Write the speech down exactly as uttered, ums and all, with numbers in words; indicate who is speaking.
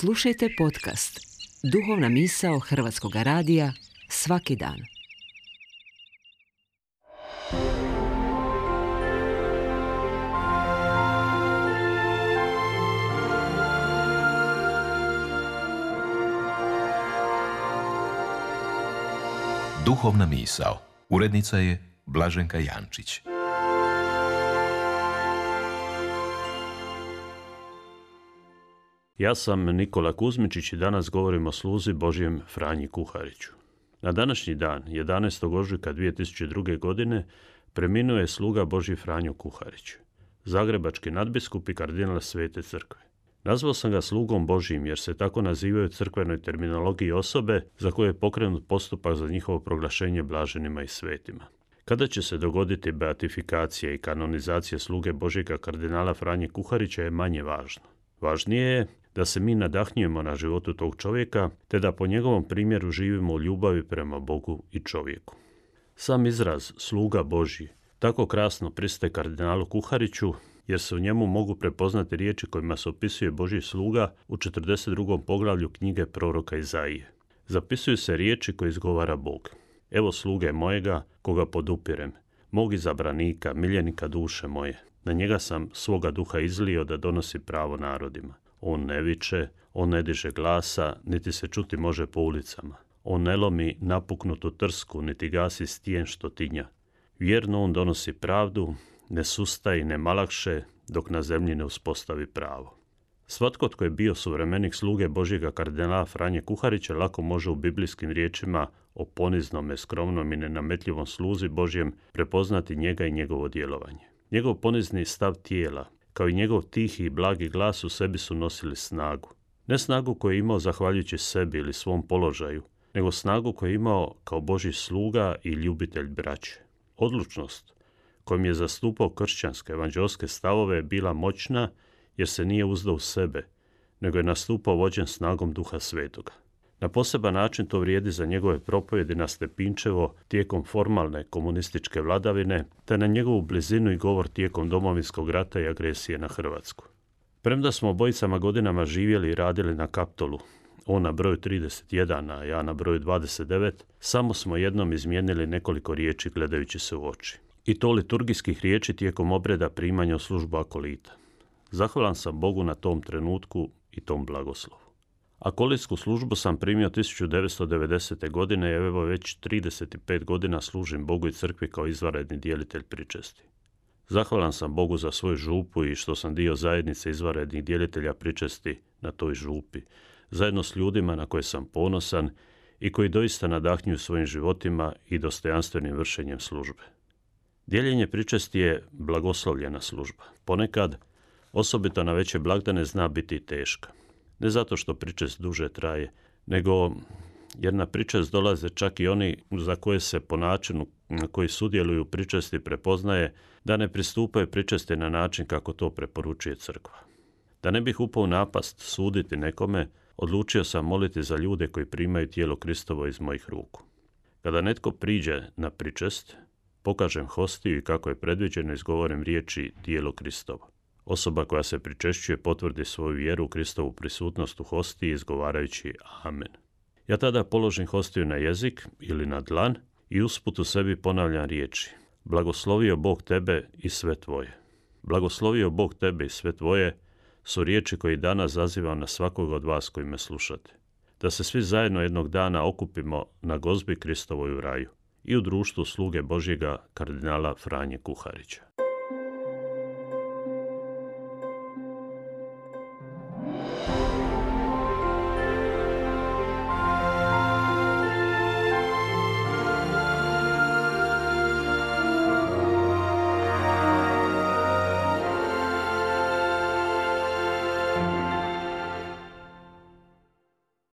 Speaker 1: Slušajte podcast Duhovna misao Hrvatskog radija svaki dan.
Speaker 2: Duhovna misao. Urednica je Blaženka Jančić.
Speaker 3: Ja sam Nikola Kuzmičić i danas govorim o sluzi Božjem Franji Kuhariću. Na današnji dan, jedanaestog ožujka dvije tisuće druge. godine, preminuo je sluga Božji Franjo Kuharić, zagrebački nadbiskup i kardinal Svete crkve. Nazvao sam ga slugom Božjim jer se tako nazivaju crkvenoj terminologiji osobe za koje je pokrenut postupak za njihovo proglašenje blaženima i svetima. Kada će se dogoditi beatifikacija i kanonizacija sluge Božjega kardinala Franje Kuharića je manje važno. Važnije je da se mi nadahnjujemo na životu tog čovjeka, te da po njegovom primjeru živimo u ljubavi prema Bogu i čovjeku. Sam izraz sluga Božji tako krasno pristaje kardinalu Kuhariću, jer se u njemu mogu prepoznati riječi kojima se opisuje Božji sluga u četrdeset drugom poglavlju knjige proroka Izaije. Zapisuju se riječi koje izgovara Bog. Evo sluge mojega, koga podupirem, mog izabranika, miljenika duše moje. Na njega sam svoga duha izlio da donosi pravo narodima. On ne viče, on ne diže glasa, niti se čuti može po ulicama. On ne lomi napuknutu trsku, niti gasi stijen što tinja. Vjerno on donosi pravdu, ne sustaje i ne malakše, dok na zemlji ne uspostavi pravo. Svatko tko je bio suvremenik sluge Božjega kardinala Franje Kuharića lako može u biblijskim riječima o poniznome, skromnom i nenametljivom sluzi Božjem prepoznati njega i njegovo djelovanje. Njegov ponizni stav tijela, kao i njegov tihi i blagi glas u sebi su nosili snagu. Ne snagu koju je imao zahvaljujući sebi ili svom položaju, nego snagu koju je imao kao Božji sluga i ljubitelj braće. Odlučnost kojom je zastupao kršćanske evanđeoske stavove je bila moćna jer se nije uzdao u sebe, nego je nastupao vođen snagom Duha Svetoga. Na poseban način to vrijedi za njegove propovjedi na Stepinčevo tijekom formalne komunističke vladavine, te na njegovu blizinu i govor tijekom Domovinskog rata i agresije na Hrvatsku. Premda smo obojicama godinama živjeli i radili na Kaptolu, on na broju trideset jedan, a ja na broju dvadeset devet, samo smo jednom izmijenili nekoliko riječi gledajući se u oči. I to liturgijskih riječi tijekom obreda primanja u službu akolita. Zahvalan sam Bogu na tom trenutku i tom blagoslovu. Akolitsku službu sam primio tisuću devetsto devedesete. godine i evo već trideset pet godina služim Bogu i crkvi kao izvanredni djelitelj pričesti. Zahvalan sam Bogu za svoju župu i što sam dio zajednice izvanrednih djelitelja pričesti na toj župi, zajedno s ljudima na koje sam ponosan i koji doista nadahnjuju svojim životima i dostojanstvenim vršenjem službe. Dijeljenje pričesti je blagoslovljena služba. Ponekad, osobito na veće blagdane, zna biti teška. Ne zato što pričest duže traje, nego jer na pričest dolaze čak i oni za koje se po načinu na koji sudjeluju u pričesti prepoznaje da ne pristupaju pričesti na način kako to preporučuje crkva. Da ne bih upao u napast suditi nekome, odlučio sam moliti za ljude koji primaju tijelo Kristovo iz mojih ruku. Kada netko priđe na pričest, pokažem hostiju i kako je predviđeno izgovorim riječi tijelo Kristovo. Osoba koja se pričešćuje potvrdi svoju vjeru u Kristovu prisutnost u hostiji izgovarajući Amen. Ja tada položim hostiju na jezik ili na dlan i usput u sebi ponavljam riječi. Blagoslovio Bog tebe i sve tvoje. Blagoslovio Bog tebe i sve tvoje su riječi koje danas zazivam na svakog od vas koji me slušate. Da se svi zajedno jednog dana okupimo na gozbi Kristovoj u raju i u društvu sluge Božjega kardinala Franje Kuharića.